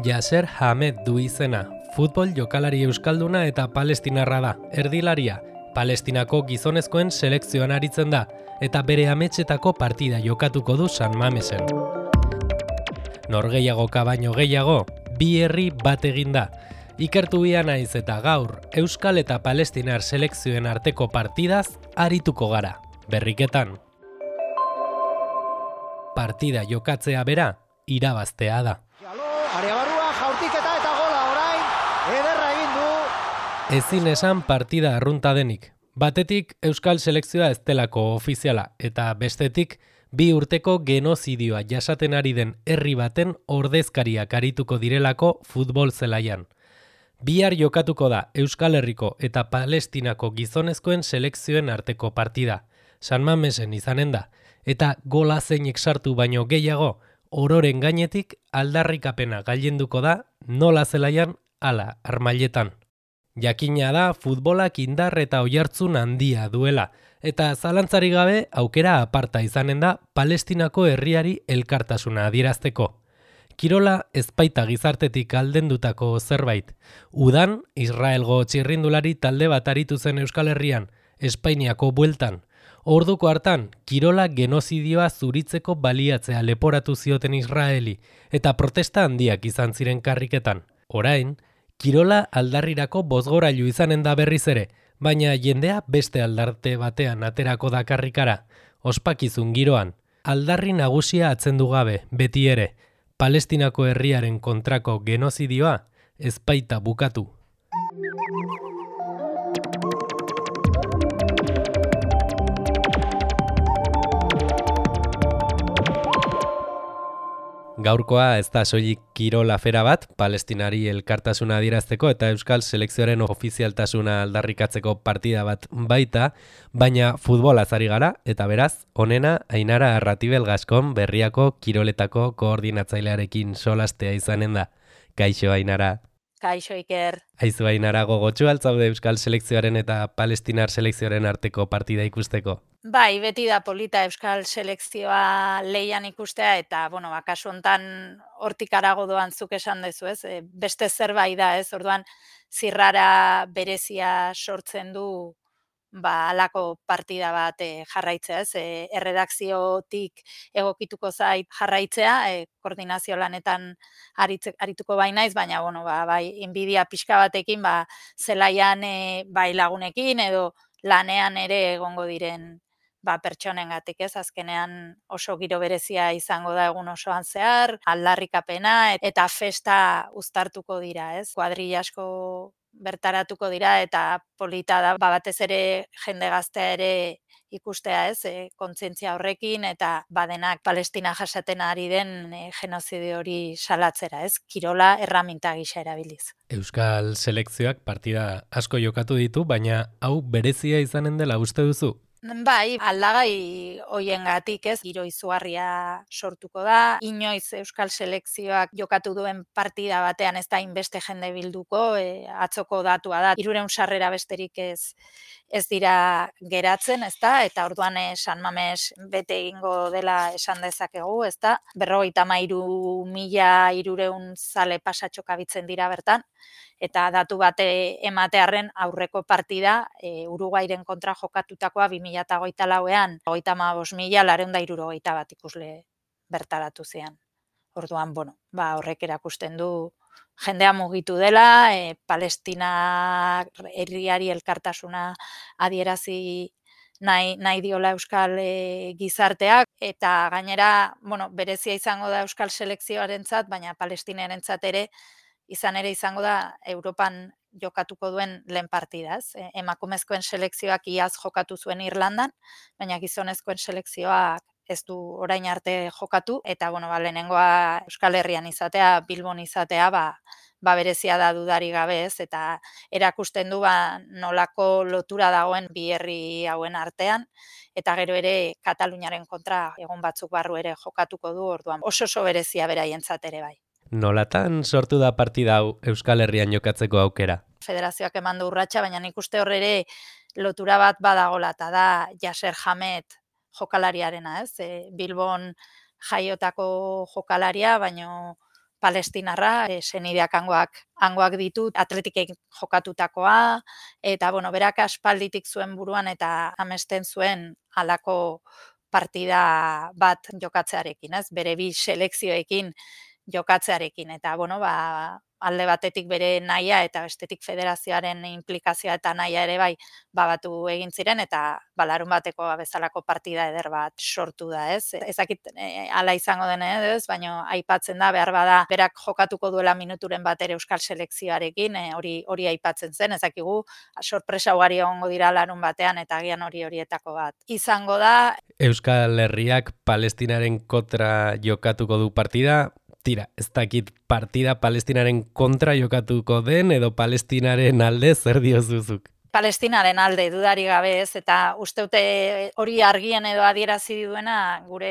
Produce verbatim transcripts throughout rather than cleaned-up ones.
Yasser Hamed du izena, futbol jokalari euskalduna eta palestinarra da, erdilaria. Palestinako gizonezkoen selekzioan aritzen da, eta bere ametsetako partida jokatuko du San Mamesen. Norgehiagoka baino gehiago, bi herri bat egin da. Ikertu bia naiz eta gaur, euskal eta palestinar selekzioen arteko partidaz arituko gara, berriketan. Partida jokatzea bera, irabaztea da. Area barrua, jaurtiketa eta gola orain, ederra egin du. Ezin esan partida arrunta denik. Batetik euskal selekzioa ez delako ofiziala, eta bestetik bi urteko genozidioa jasaten ari den herri baten ordezkariak arituko direlako futbol zelaian. Bihar jokatuko da Euskal Herriko eta Palestinako gizonezkoen selekzioen arteko partida. San Mamesen izanen da, eta gola zeinek sartu baino gehiago, ororen gainetik aldarrikapena gailenduko da nola zelaian ala armailetan. Jakina da futbolak indar eta oihartzun handia duela, eta zalantzari gabe aukera aparta izanen da Palestinako herriari elkartasuna adierazteko. Kirola ezpaita gizartetik aldendutako zerbait. Udan, Israelgo txirrindulari talde bat aritu zen Euskal Herrian, Espainiako bueltan. Orduko hartan, kirola genozidioa zuritzeko baliatzea leporatu zioten Israeli, eta protesta handiak izan ziren karriketan. Orain, kirola aldarrirako bozgorailu izanen da berriz ere, baina jendea beste aldarte batean aterako da karrikara. Ospakizun giroan, aldarri nagusia atzendu gabe, beti ere, Palestinako herriaren kontrako genozidioa ezpaita bukatu. Gaurkoa ez da soilik kirol afera bat, Palestinari elkartasuna adierazteko eta euskal selekzioaren ofizialtasuna aldarrikatzeko partida bat baita, baina futbolaz ari gara, eta beraz, honena Ainara Arratibel Gaskon Berriako kiroletako koordinatzailearekin solastea izanen da. Kaixo Ainara. Kaixo Iker. Aizu Ainara, gogotsu altzaude euskal selekzioaren eta palestinar selekzioaren arteko partida ikusteko? Bai, beti da polita euskal selekzioa leian ikustea eta, bueno, kasu hontan hortik harago doan zuk esan dezu, ez? E, beste zerbait da, ez? Orduan zirrara berezia sortzen du ba halako partida bat e, jarraitzea, ez? E, erredakziotik egokituko zait jarraitzea, e, koordinazio lanetan aritze, arituko bai naiz, baina bueno, ba, bai inbidia pixka batekin ba zelaian e, bai lagunekin edo lanean ere egongo diren ba pertsonengatik, ez? Azkenean oso giro berezia izango da egun osoan zehar, aldarrikapena eta festa uztartuko dira, ez? Kuadrilla asko bertaratuko dira eta polita da ba, batez ere jende gaztea ere ikustea, ez? E, kontzientzia horrekin eta badenak Palestina jasaten ari den e, genozidio hori salatzera, ez? Kirola erraminta gisa erabiliz. Euskal selekzioak partida asko jokatu ditu, baina hau berezia izanen dela uste duzu? Bai, aldagai hoiengatik, ez, giro izugarria sortuko da. Inoiz euskal selekzioak jokatu duen partida batean ez da inbeste jende bilduko, e, atzoko datua da. Hirurehun sarrera besterik ez ez dira geratzen, ezta? Eta orduan e, San Mames bete egingo dela esan dezakegu, ezta? berrogeita hamairu mila hirurehun zale pasatxo kabitzen dira bertan. Eta datu bate ematearren aurreko partida e, Uruguairen kontra jokatutakoa bi mila hogeita lauean hogeita hamabost mila laurehun eta hirurogeita bat ikusle bertaratu zian. Orduan, bueno, ba horrek erakusten du jendea mugitu dela, e, Palestina herriari elkartasuna adierazi nahi, nahi diola euskal e, gizarteak, eta gainera, bueno, berezia izango da euskal selekzioarentzat, baina palestinarentzat ere izan ere izango da Europan jokatuko duen lehen partida, ez? E, emakumezkoen selekzioak iaz jokatu zuen Irlandan, baina gizonezkoen selekzioak ez du orain arte jokatu, eta bueno, ba, lehenengoa Euskal Herrian izatea, Bilbon izatea, ba, ba berezia da dudari gabe, ez? Eta erakusten du ba nolako lotura dagoen bi herri hauen artean, eta gero ere Kataluniaren kontra egon batzuk barru ere jokatuko du, orduan oso oso berezia beraientzat ere bai. Nolatan sortu da partida hau Euskal Herrian jokatzeko aukera? Federazioak eman du urratsa, baina nik uste hor ere lotura bat badagola, eta da Yasser Hamed jokalariarena, ez? E, Bilbon jaiotako jokalaria, baino palestinarra, e, senideak hangoak, hangoak ditu, atletikek jokatutakoa, eta bueno, berak aspalditik zuen buruan eta amesten zuen halako partida bat jokatzearekin, ez? Bere bi selekzioekin jokatzearekin, eta bueno, ba, alde batetik bere nahia eta bestetik federazioaren implikazioa eta nahia ere bai babatu egin ziren, eta ba, larun bateko bezalako partida eder bat sortu da, ez? Ezakit e, ala izango den ez, baina aipatzen da, behar bada, berak jokatuko duela minuturen bat ere euskal selekzioarekin, e, hori hori aipatzen zen, ezakigu, sorpresa ugari egongo dira larun batean, eta agian hori horietako bat izango da. Euskal Herriak Palestinaren kontra jokatuko du partida. Tira, ez dakit partida Palestinaren kontra jokatuko den edo Palestinaren alde zer diozuzuk? Palestinaren alde dudari gabe ez, eta uste dute hori argien edo adierazi duena gure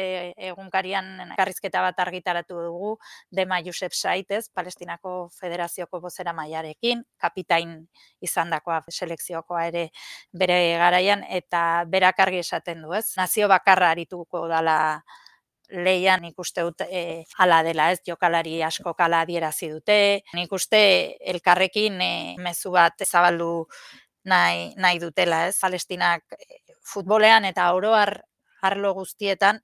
egunkarian karrizketa bat argitaratu dugu, Dema Josep Sait, ez, Palestinako Federazioko bozera mailarekin, kapitain izandakoa selekziokoa ere bere garaian, eta berak argi esaten du, ez, nazio bakarra arituko dala leian nik uste dut e, ala dela, ez, jokalari asko kala adierazi dute, nik uste elkarrekin e, mezu bat zabaldu nahi, nahi dutela, ez, Palestinak futbolean eta oro har arlo guztietan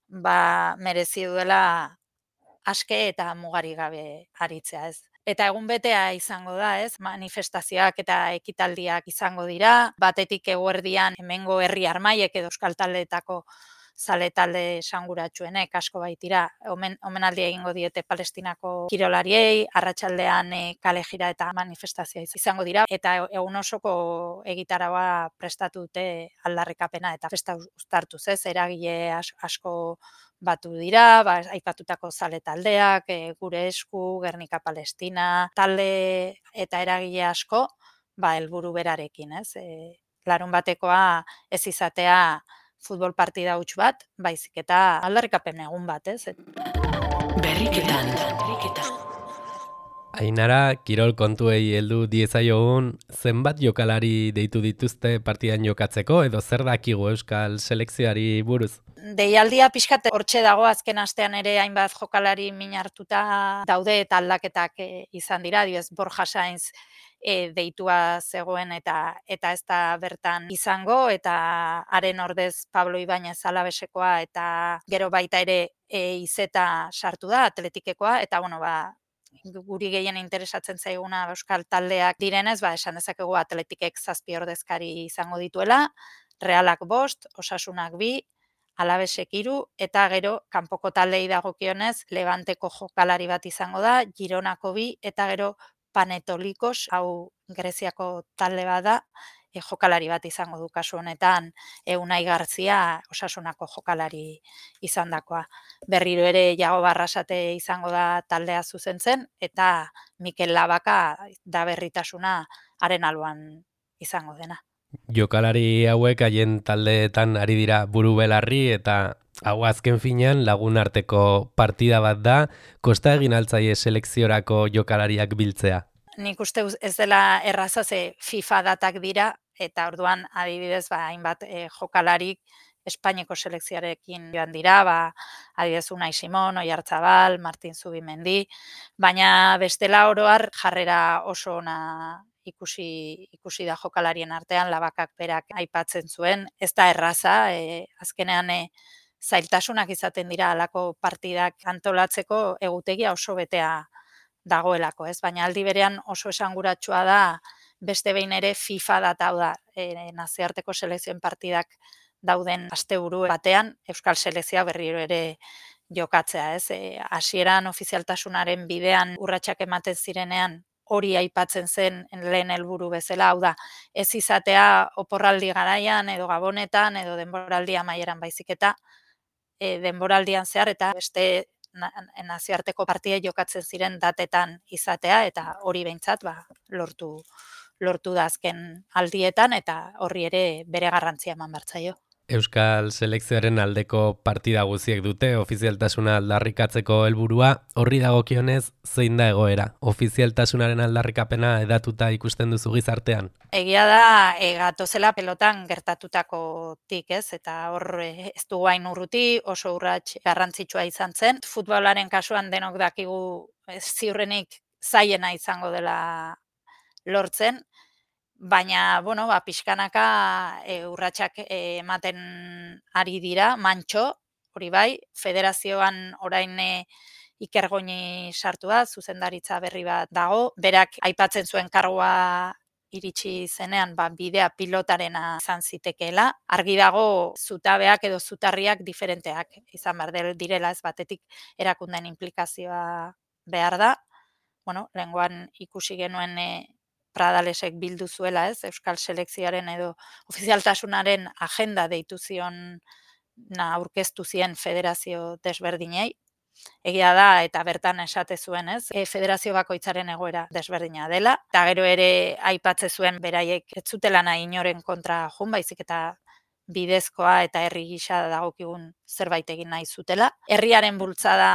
ba merezi duela aske eta mugari gabe aritzea, ez. Eta egun betea izango da, ez, manifestazioak eta ekitaldiak izango dira, batetik eguerdian hemengo herri armaiek edo euskal taldeetako zale talde esanguratsuenek asko baitira, omen, omenaldi egingo diete Palestinako kirolariei, arratsaldean e, kale jira eta manifestazioa izango dira, eta egun osoko egitaragoa prestatu dute aldarrikapena eta festa uztartuz, ez, eragile asko batu dira, ba, aipatutako zale taldeak, e, gure esku, Gernika Palestina, talde eta eragile asko, ba, helburu berarekin, ez, e, larun batekoa ez izatea futbol partida huts bat, baizik eta aldarrikapen egun bat, ez? Berriketan, berriketan. Ainara, kirol kontuei heldu diezaiogun, zenbat jokalari deitu dituzte partidan jokatzeko, edo zer dakigu euskal selekzioari buruz? Deialdia pixkat hortxe dago, azken astean ere hainbat jokalari min hartuta daude eta aldaketak e, izan dira, adibidez Borja Sainz e, deitua zegoen eta eta ez da bertan izango, eta haren ordez Pablo Ibañez Alabesekoa eta gero baita ere e, Izeta sartu da, Atletikekoa, eta bueno, ba, guri gehien interesatzen zaiguna euskal taldeak direnez, ba, esan dezakegu Atletikek zazpi ordezkari izango dituela, Realak bost, Osasunak bi, Alabesek hiru, eta gero kanpoko taldei dagokionez Levanteko jokalari bat izango da, Gironako bi, eta gero Panetolikos, hau Greziako talde bat da, e, jokalari bat izango du kasu honetan, e, Unai Garzia Osasunako jokalari izandakoa. Berriro ere Jago Barrasate izango da taldea zuzentzen, eta Mikel Labaka da berritasuna haren alboan izango dena. Jokalari hauek haien taldeetan ari dira buru belarri, eta hau azken finean lagun arteko partida bat da, kosta egin altzaie selekziorako jokalariak biltzea. Nik uste ez dela erraza, ze FIFA datak dira, eta orduan adibidez ba, hainbat e, jokalarik Espainiako selekzioarekin joan dira, ba, adibidez Unai Simon, Oiartzabal, Martin Zubimendi, baina bestela oro har jarrera oso ona ikusi ikusi da jokalarien artean, Labakak berak aipatzen zuen, ez da erraza, e, azkenean e, zailtasunak izaten dira halako partidak antolatzeko, egutegia oso betea dagoelako, ez? Baina aldi berean oso esanguratsua da beste behin ere FIFA data, hau da, e, nazioarteko selekzioen partidak dauden asteburu batean euskal selekzioa berriro ere jokatzea, ez? E, hasieran ofizialtasunaren bidean urratsak ematen zirenean hori aipatzen zen lehen helburu bezala, hau da, ez izatea oporraldi garaian edo gabonetan edo denboraldi amaieran baizik eta e, denboraldian zehar eta beste nazioarteko partida jokatzen ziren datetan izatea, eta hori behintzat ba, lortu lortu da azken aldietan, eta horri ere bere garrantzia eman behar zaio. Euskal selekzioaren aldeko partida guziek dute ofizialtasuna aldarrikatzeko helburua. Horri dagokionez, zein da egoera? Ofizialtasunaren aldarrikapena edatuta ikusten duzu gizartean? Egia da, e, gatozela pelotan gertatutakotik, ez? Eta hor e, ez dugu hain urruti, oso urrats garrantzitsua izan zen. Futbolaren kasuan denok dakigu ez ziurrenik zaiena izango dela lortzen, baina, bueno, ba, pixkanaka e, urratsak e, ematen ari dira, mantxo, hori bai, federazioan orain e, Ikergoini sartu da, zuzendaritza berri bat dago, berak aipatzen zuen kargua iritsi zenean, ba, bidea pilotarena izan zitekeela. Argi dago zutabeak edo zutarriak diferenteak izan behar direla, ez batetik erakundeen implikazioa behar da. Bueno, lehengoan ikusi genuen e, Pradalesek bildu zuela, ez, Euskal selekzioaren edo ofizialtasunaren agenda deitu zion na aurkeztu zien federazio desberdinei. Egia da, eta bertan esate zuen, ez, e, federazio bakoitzaren egoera desberdina dela, eta gero ere aipatze zuen beraiek ez zutela nahi inoren kontra jun, baizik eta bidezkoa eta herri gisa dagokigun zerbait egin nahi zutela. Herriaren bultzada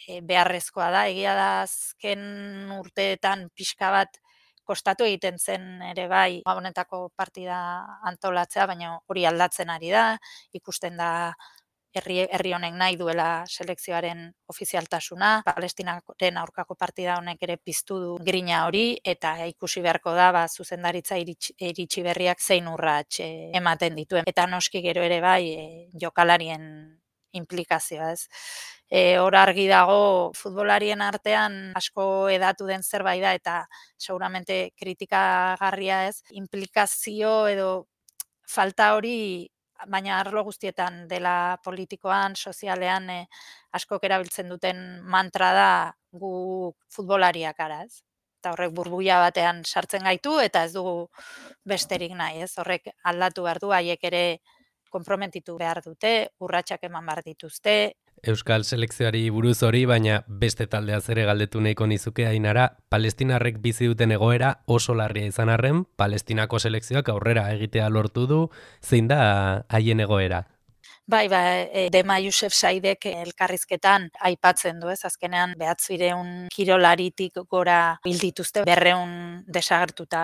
e, beharrezkoa da, egia da azken urteetan pixka bat kostatu egiten zen ere bai Gabonetako partida antolatzea, baina hori aldatzen ari da, ikusten da herri, herri honek nahi duela selekzioaren ofizialtasuna, Palestinaren aurkako partida honek ere piztu du grina hori, eta ikusi beharko da ba, zuzendaritza iritsi, iritsi berriak zein urrats e, ematen dituen. Eta noski gero ere bai e, jokalarien implikazioa, ez. E, hor argi dago futbolarien artean asko edatu den zerbait da eta seguramente kritikagarria, ez, implikazio edo falta hori, baina arlo guztietan dela politikoan, sozialean e, askok erabiltzen duten mantra da gu futbolariak gara, ez. Eta horrek burbuila batean sartzen gaitu eta ez dugu besterik nahi, ez. Horrek aldatu behar du, haiek ere konprometitu behar dute, urratsak eman behar dituzte. Euskal selekzioari buruz hori, baina beste taldea ere galdetu nahiko nizuke Ainara, palestinarrek bizi duten egoera oso larria izan arren, Palestinako selekzioak aurrera egitea lortu du, zein da haien egoera? Bai, ba, e, Dema Yusef Saidek elkarrizketan aipatzen du, ez, azkenean behatzireun kirolaritik gora hil dituzte, berreun desagertuta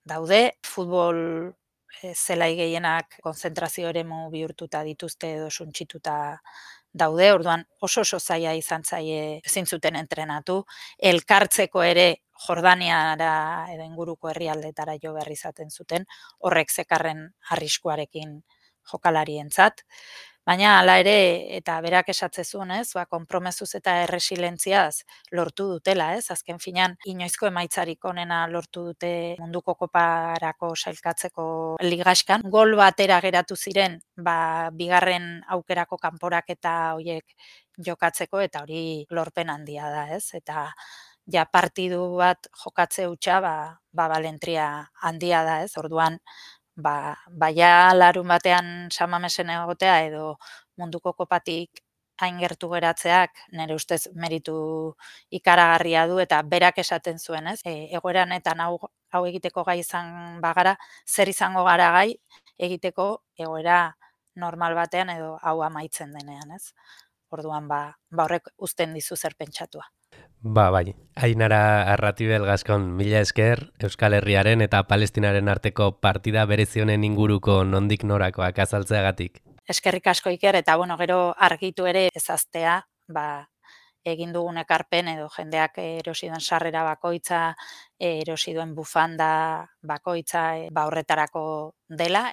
daude, futbol e, zelai gehienak konzentrazio eremu bihurtuta dituzte edo suntsituta daude, orduan oso oso zaila izan zaie ezin zuten entrenatu, elkartzeko ere Jordaniara edo inguruko herrialdetara jo behar izaten zuten, horrek zekarren arriskuarekin jokalarientzat. Baina hala ere, eta berak esatze zuen, ez, ba, konpromezuz eta erresilentziaz lortu dutela, ez, azken finean inoizko emaitzarik onena lortu dute munduko koparako sailkatzeko ligaskan. Gol batera geratu ziren, ba, bigarren aukerako kanporaketa horiek jokatzeko, eta hori lorpen handia da, ez, eta ja partidu bat jokatze hutsa, ba, ba balentria handia da, ez, orduan, Ba, baia larun batean Samamesen egotea edo munduko kopatik hain gertu geratzeak nire ustez meritu ikaragarria du eta berak esaten zuen, ez? E, egoeranetan hau, hau egiteko gai izan bagara, zer izango gara gai egiteko egoera normal batean edo hau amaitzen denean, ez? Orduan ba, ba horrek uzten dizu zer pentsatua. Ba, bai, Ainara Arratibel Gascon, mila esker, Euskal Herriaren eta Palestinaren arteko partida berezionen inguruko nondik norakoak azaltzeagatik. Eskerrik asko Iker, eta bueno, gero argitu ere ezaztea, ba, egin dugun ekarpen edo jendeak erosi duen sarrera bakoitza, erosi duen bufanda bakoitza, ba horretarako dela.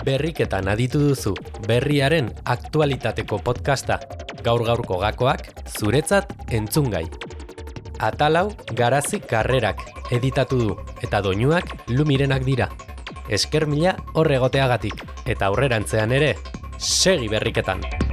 Berriketan aditu duzu, berriaren aktualitateko podcasta, gaur-gaurko gakoak, zuretzat entzungai. Atalau Garazi Karrerak editatu du, eta doinuak Lumirenak dira. Esker mila horregoteagatik, eta aurrerantzean ere, segi berriketan!